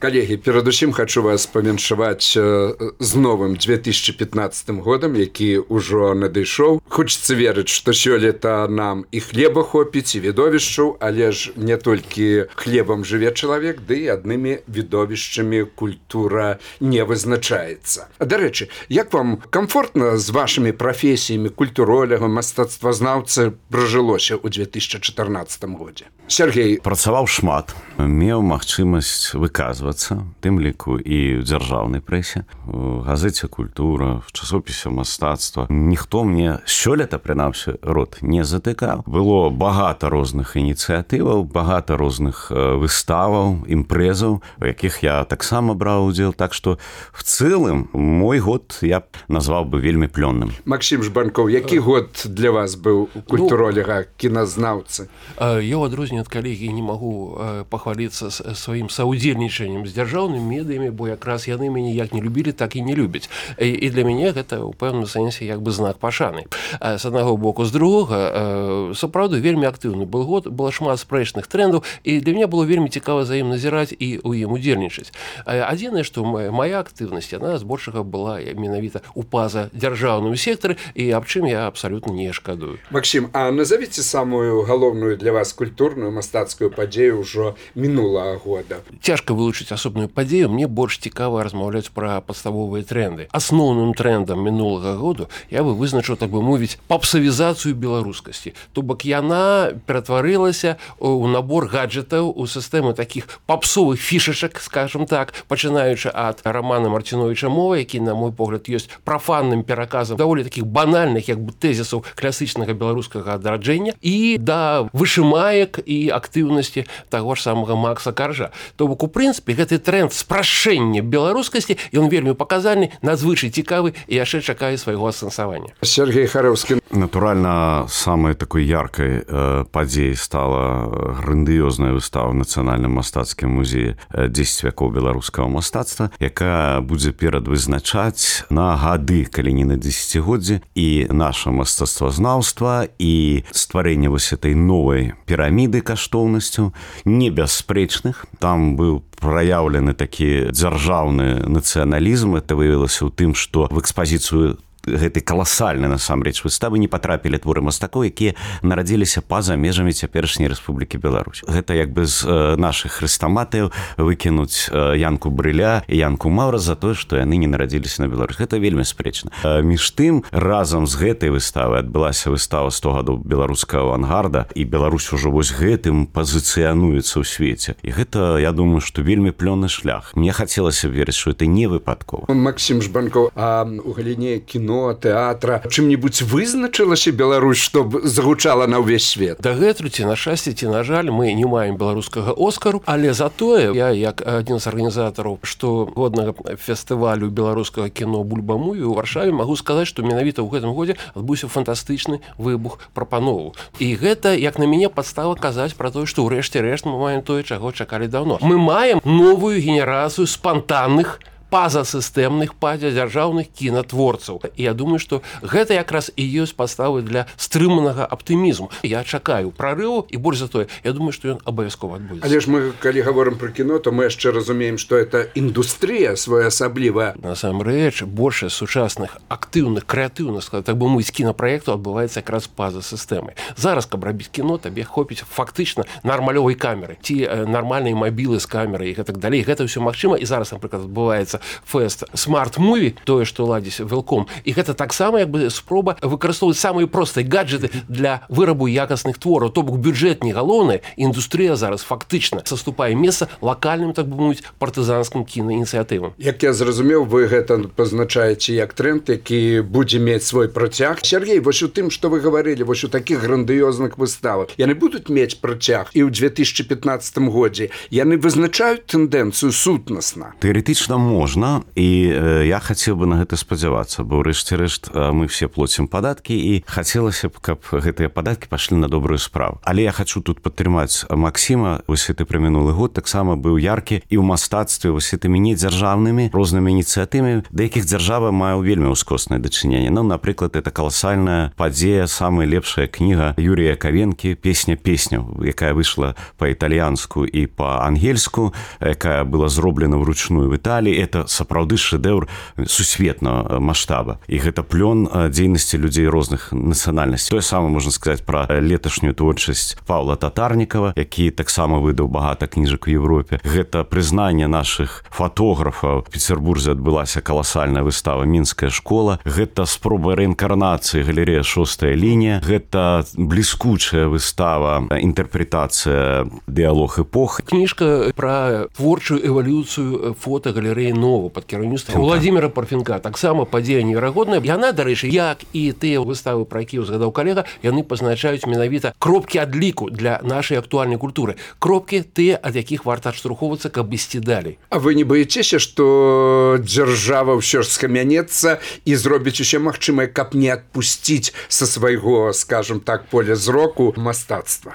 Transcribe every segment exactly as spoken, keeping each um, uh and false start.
Коллеги, перадусім хочу вас павіншаваць з новым две тысячи пятнадцатым годам, які ўжо надышоў. Хочацца верыць, што сёлета нам і хлеба хопіць, і відовішчаў, але ж не толькі хлебам жыве чалавек, ды і аднымі відовішчамі культура не вызначаецца. Дарэчы, як вам комфортна з вашымі прафесіямі культуроляга, мастацтвазнаўцы пражылося ў две тысячи чатырнаццатым годзе? Сергей. Працаваў шмат, меў магчымасць выказваць тым ліку і ў дзяржаўнай прэсе, у газеце «Культура», в часопісе «Мастацтва». Ніхто мне сёлета, прынамсі, рот не затыкаў. Было багата розных ініцыятываў, багата розных выставаў, імпрэзаў, у якіх я таксама браў удзел. Так што в цэлым мой год я б назваў бы вельмі плённым. Максим Жбанков, які год для вас быў культуролога, кіназнаўцы? Я, ў адрозненне ад калегі, не магу пахваліцца сваім саўдзельнічаннем з дзяржаўнымі медыямі, бо якраз яны мяне як не любілі, так і не любяць. І, і для мяне гэта ў пэўным сэнсе як бы знак пашаны. З аднаго боку, з другога, сапраўды вельмі актыўны был год, было шмат спрэчных трендаў, і для мяне было вельмі цікава за ім назіраць і ў ім удзельнічаць. Адзінае, што моя актыўнасць, яна збольшага была менавіта ў паза дзяржаўным сектары, і аб чым я абсалютна не шкадую. Максим, а назовіце самую галоўную для вас культурную мастацкую падзею ўжо мінулага года? Цяжка вылучыць асобную падзею, мне больш цікава размаўляць пра падставовыя тренды. Асноўным трендам мінулага году я бы вызначыў, так бы мовіць, папсавізацыю беларускасці. То бок яна ператварылася ў набор гаджетаў, у сістэму такіх папсовых фішачак, скажем так, пачынаючы ад Рамана Марціновіча «Мова», які, на мой погляд, ёсць прафанным пераказам даволі такіх банальных, як бы тэзісаў класічнага беларускага адраджэння, і да вышымаек і актыўнасці таго ж самага Макса Каржа. То бок, у прынцыпе, гэты тренд спрашэння беларускасці, ён вельмі паказальны, надзвычай цікавы і яшчэ чакае свайго асэнсавання. Сергей Харэўскі. Натуральна, самай такой яркай э, падзеяй стала грандыёзная выстава ў Нацыянальным мастацкім музеі дзесяць вякоў беларускага мастацтва, якая будзе перадвызначаць на гады, калі не на дзесяцігоддзі, і наша мастацтвазнаўства, і стварэнне вось этой новай піраміды каштоўнасцяў, небяспрэчных. Там быў праяўлены такі дзяржаўны нацыяналізм. Это выявілася ў тым, што в экспазіцыю гэтай каласальнай насамрэч выставы не патрапілі творы мастакоў, якія нарадзіліся па-за межамі цяперашняй Рэспублікі Беларусь. Гэта як бы з э, нашых хрэстаматыяў выкінуць э, Янку Брыля і Янку Маўра за тое, што яны не нарадзіліся на Беларусь. Гэта вельмі спрэчна. Э, між тым, разам з гэтай выставай адбылася выстава сто гадоў беларускага авангарда, і Беларусь ужо вось гэтым пазіцыянуецца ў свеце. І гэта, я думаю, што вельмі плённы шлях. Мне хацелася верыць, што гэта не выпадкова. Максим Жбанков, а у галіне кіно, тэатра, чым-небудзь вызначылася Беларусь, што загучала на ўвесь свет? Дагэтуль, ці на шчасце, ці на жаль, мы не маем беларускага Оскару, але затое я, як адзін з арганізатараў штогоднага фестывалю беларускага кіно «Бульба-муві» у Варшаве, магу сказаць, што менавіта ў гэтым годзе адбыўся фантастычны выбух прапановаў. І гэта, як на мяне, падстава казаць пра тое, што ўрэшце рэшт мы маем тое, чаго чакалі даўно. Мы маем новую генерацыю спантанных, пазасістэмных, пазадзяржаўных кінатворцаў. І я думаю, што гэта якраз і ёсць падставы для стрыманага аптымізму. Я чакаю прарыву, і больш за тое, я думаю, што ён абавязкова адбудзецца. Але ж мы, калі гаворым пра кіно, то мы яшчэ разумеем, што это індустрыя своеасаблівая. Насамрэч, большасць сучасных актыўных, крэатыўных, так бы мовіць, кінапраектаў адбываецца якраз па-за сістэмай. Зараз, каб рабіць кіно, табе хопіць фактычна нармалёвай камеры, ці нармальнай мабілы з камерай і гэтак далей. Гэта ўсё магчыма, і зараз, напрыклад, адбываецца фэст смарт-муві, тое, што ладзіць Велком. І гэта таксама як бы спроба выкарыстоўваць самыя простыя гаджеты для вырабу якасных твораў. То бок бюджэт не галоўны, індустрыя зараз фактычна саступае месца лакальным, так бы мовіць, партызанскім кінаініцыятывам. Як я зразумеў, вы гэта пазначаеце як тренд, які будзе мець свой працяг. Сергей, вось у тым, што вы гаварылі, вось у такіх грандыёзных выставах, яны будуць мець працяг і ў две тысячи пятнаццатым годзе. Яны вызначаюць тэндэнцыю сутнасна? Тэарэтычна можа. можна, і я хацеў бы на гэта спадзявацца, бо ўрэшце рэшт мы все плоцім падаткі, і хацелася б, каб гэтыя падаткі пашлі на добрую справу. Але я хачу тут падтрымаць Максіма. Вось гэты пра мінулы год таксама быў яркі і ў мастацтве вось гэтымі недзяржаўнымі рознымі ініцыятывамі, да якіх дзяржава мае вельмі ўскоснае дачыненне. Ну, напрыклад, это каласальная падзея, самая лепшая кніга Юрія Кавенкі «Песня песняў», якая выйшла па-італьянску і па-ангельску, якая была зроблена вручную в Італіі. Это сапраўды шэдэўр сусветнага маштаба. І гэта плён дзейнасці людзей розных нацыянальнасцей. Тое самае можна сказаць пра леташнюю творчасць Паўла Татарнікава, які таксама выдаў багата кніжак у Европе. Гэта прызнанне нашых фотографаў. В Петербурзе адбылася каласальная выстава «Мінская школа». Гэта спроба рэінкарнацыі галерэя «Шостая лінія». Гэта бліскучая выстава, інтэрпрэтацыя «Дыалог эпох». Кніжка пра творчую эвалюцыю фотагалерэі «Нова» пад кіраўніцтвам Владзіміра Парфенка. Таксама падзея неверагодная. Яна, дарэчы, як і тыя выставы, пра якія узгадаў калега, яны пазначаюць менавіта кропкі адліку для нашай актуальнай культуры. Кропкі тыя, ад якіх варта адштурхоўвацца, каб ісці далей. А вы не баецеся, што дзяржава ўсё ж скамянецца і зробіць усе магчымае, каб не адпусціць са свайго, скажем так, поля зроку мастацтва?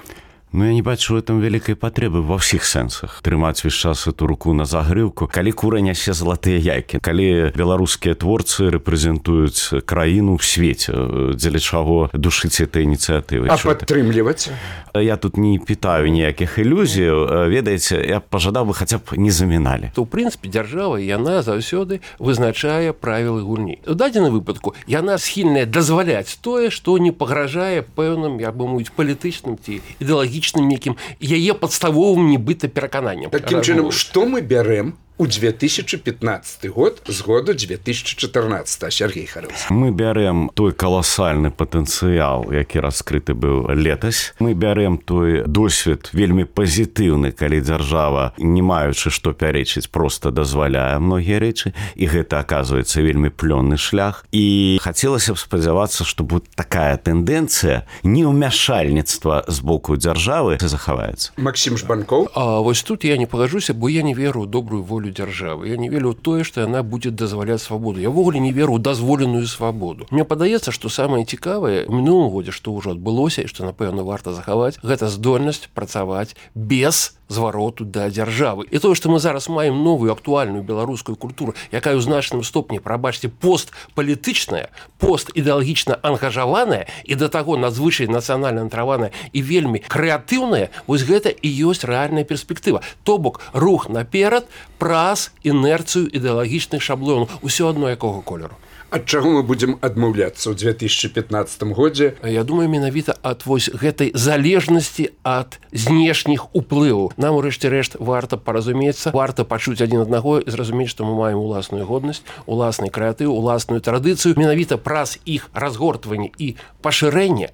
Ну, я не бачу в этом вялікай патрэбы ва ўсіх сэнсах. Трымаць весь час эту руку на загрыўку. Калі кура нясе залатыя яйкі, калі беларускія творцы рэпрэзентуюць краіну ў свеце, дзеля чаго душыць этой ініцыятывы. А падтрымліваць? Я тут не пытаю ніякіх ілюзіяў. Ведаеце, я пажадаў бы хаця б не заміналі. То, ў прынцыпе, дзяржава, яна заўсёды вызначае правілы гульні. У дадзеным выпадку яна схільная дазваляць тое, што не пагражае пэўным, як бы мовіць, палітычным ці ідэалагічным некім яе падставовым нібыта перакананнем. Такім чынам, што мы бярэм у две тысячи пятнадцатый год з году две тысячи четырнадцатый, Сергей Харылович? Мы бярэм той каласальны патэнцыял, які раскрыты быў летась. Мы бярэм той досвед вельмі пазітыўны, калі дзяржава, не маючы што пярэчыць, проста дазваляе многія рэчы, і гэта аказваецца вельмі плённы шлях. І хацелася б спадзявацца, што вот такая тэндэнцыя неўмяшальніцтва з боку дзяржавы захаваецца. Максім Жбанкоў? А вось тут я не пагажуся, бо я не веру ў добрую волю дзяржавы. Я не веру ў тое, што яна будзе дазваляць свабоду. Я ввогуле не веру ў дазволеную свабоду. Мне падаецца, што самае цікавае ў мінулым годзе, што ўжо адбылося і што, напэўна, варта захаваць, гэта здольнасць працаваць без звароту да дзяржавы. І тое, што мы зараз маем новую актуальную беларускую культуру, якая ў значным стопні, прабачце, постпалітычная, постідэалагічна ангажаваная і да таго надзвычай нацыянальна натраваная і вельмі крэатыўная, вось гэта і ёсць рэальная перспектыва. То бок рух наперад праз інерцыю ідэалагічных шаблонаў, усё адно якога колеру. Ад чаго мы будзем адмаўляцца ў две тысячи пятнадцатым годзе? Я думаю, менавіта ад вось гэтай залежнасці ад знешніх уплываў. Нам, урэшце рэшт, варта паразумецца, варта пачуць адзін аднаго і зразумець, што мы маем уласную годнасць, уласны крэатыў, уласную традыцыю. Менавіта праз іх разгортванне і пашырэнне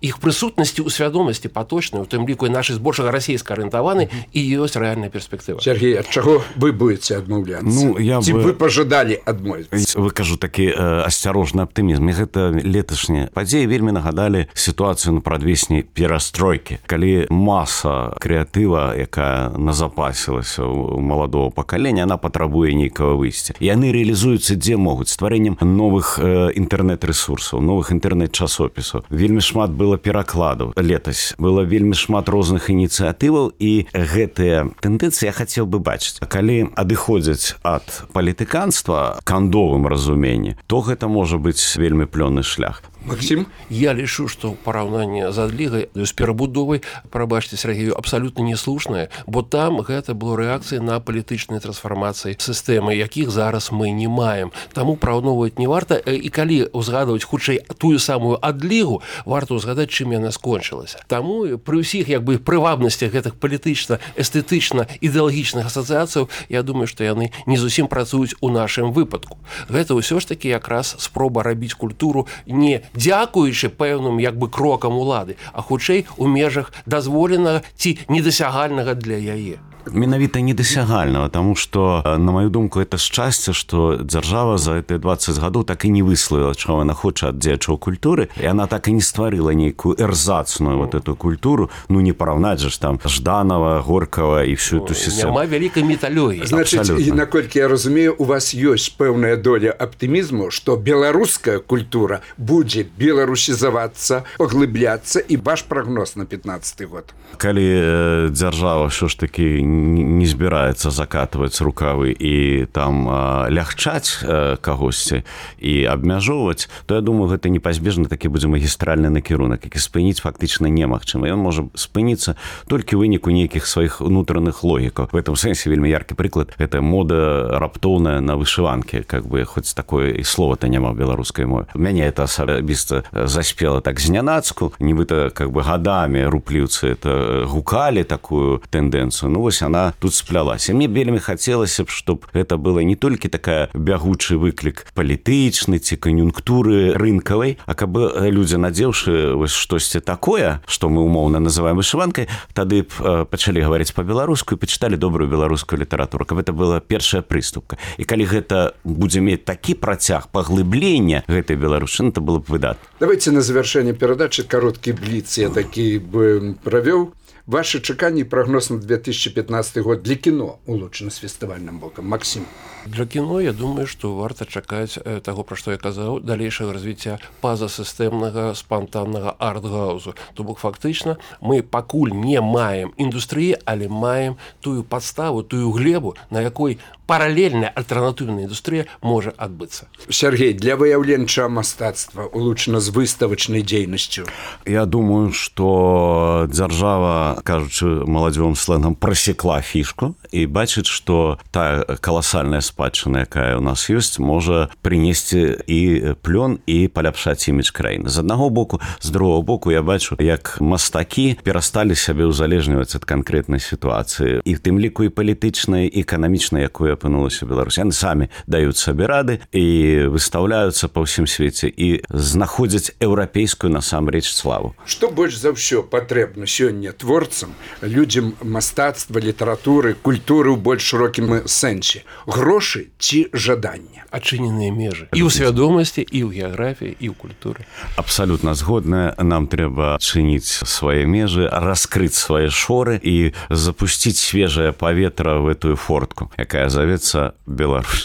іх прысутнасці ў свядомасці паточнай, у тым ліку і нашай збольшага расійска арыентаваны, і ёсць рэальная перспектыва. Сергей, ад чаго вы будете адмаўляцца? Ну, я Ці бы... вы пажадалі адмовіцца? Вы кажу такі э, асцярожны аптымізм. І гэта леташнія падзеі вельмі нагадалі сітуацыю на прадвесні перастройкі. Калі маса крэатыва, якая назапасілася ў маладого пакалення, она патрабуе нейкага выйсця. І яны рэалізуюцца дзе могуць, стварэннем новых э, інтэрнэт-рэсурсаў, новых інтэрнэт-часопісаў. Вельмі шмат было перакладаў летась. Было вельмі шмат розных ініцыятываў, і гэтыя тэндэнцыі я хацеў бы бачыць. Калі адыходзяць ад палітыканства кандовым разуменні, то гэта можа быць вельмі плённы шлях. Максим? Я лічу, што параўнанне з адлігай, з перабудовай, прабачце, Сергею, абсалютна неслушнае, бо там гэта было рэакцыя на палітычныя трансфармацыі сістэмы, якіх зараз мы не маем. Таму параўноўваць не варта, і калі ўзгадваць хутчэй тую самую адлігу, варта ўзгадаць, чым яна скончылася. Таму пры ўсіх як бы прывабнасцях гэтых палітычна, эстэтычна, ідэалагічных асацыяцыяў, я думаю, што яны не зусім працуюць у нашым выпадку. Гэта ўсё ж такі якраз спроба рабіць культуру не дзякуючы пэўным як бы крокам улады, а хутчэй у межах дазволенага ці недасягальнага для яе. Менавіта недасягальнага, таму што, на маю думку, это шчасце, што дзяржава за гэтыя дваццаць гадоў так і не выславіла, чаго яна хоча ад дзеячаў культуры, і яна так і не стварыла нейкую эрзацную вот эту культуру, ну не параўнаць жа ж там Жданова, Горкава і всю эту сістэму. Няма вялікай міталогіі. Значыць, і наколькі я разумею, у вас ёсць пэўная доля аптымізму, што беларуская культура будзе беларусізавацца, паглыбляцца, і ваш прагноз на пятнаццаты год. Калі дзяржава ўсё ж такі не збіраецца закатваць рукавы і там лягчаць кагосьці і абмяжоўваць, то я думаю, гэта непазбежна такі будзе магістральны накірунак, які спыніць фактычна немагчыма. Ён можа спыніцца толькі ў выніку нейкіх сваіх унутраных логікаў. В этом сэнсе вельмі яркі прыклад — гэта мода раптоўная на вышыванкі, как бы хоць такое і слова-то няма ў беларускай мове. Мяне это асабіста заспела так знянацку, нібыта как бы гадамі рупліўцы это гукалі такую тэндэнцыю. Ну вось она тут сплялася. Мне вельмі хацелася б, чтоб гэта было не толькі такая бягучы выклік палітычны ці кан'юнктуры рынкавай, а каб людзі, надзеўшы вось штосьці такое, што мы умоўна называем вышыванкай, тады б пачалі гаварыць па-беларуску і пачыталі добрую беларускую літаратуру, каб это была першая прыступка. І калі гэта будзе мець такі працяг паглыблення гэтай беларушчыны, то было б выдатна. Давайте на завершение передачи короткий блиц я таки бы провел. Ваши чаканні і прогноз на две тысячи пятнадцатый год для кіно улучшаны з фестывальным бокам. Максим. Для кіно, я думаю, што варта чакаць таго, пра што я казаў, далейшага развіцця пазасістэмнага спантаннага арт-гаузу. То бок фактычна мы пакуль не маем індустрыі, але маем тую падставу, тую глебу, на якой паралельная альтэрнатыўная індустрыя можа адбыцца. Сергей, для выяўленчага мастацтва улучшана з выставачнай дзейнасцю. Я думаю, што дзяржава, кажучы маладзёвым сленгам, прасекла фішку і бачыць, што тая каласальная спадчына, якая ў нас ёсць, можа прынесці і плён і паляпшаць імідж краіны. З аднаго боку, з другого боку я бачу, як мастакі перасталі сябе ўзалежніваць ад канкрэтнай сітуацыі, і в тым ліку і палітычнай, і эканамічнай, якую апынулася Беларусь. Яны самі даюць сабе рады і выстаўляюцца па ўсім свеце і знаходзяць еўрапейскую насамрэч славу. Што больш за ўсё патрэбна сёння творцам, людзям мастацтва, літаратуры, культуры ў больш шырокім сэнсе? Грошы ці жаданне? Адчыненыя межы. І ў свядомасці, і ў геаграфіі, і ў культуры. Абсалютна згодная. Нам трэба адчыніць свае межы, раскрыць свае шоры і запусціць свежае паветра в этую фортку, якая завецца Беларусь.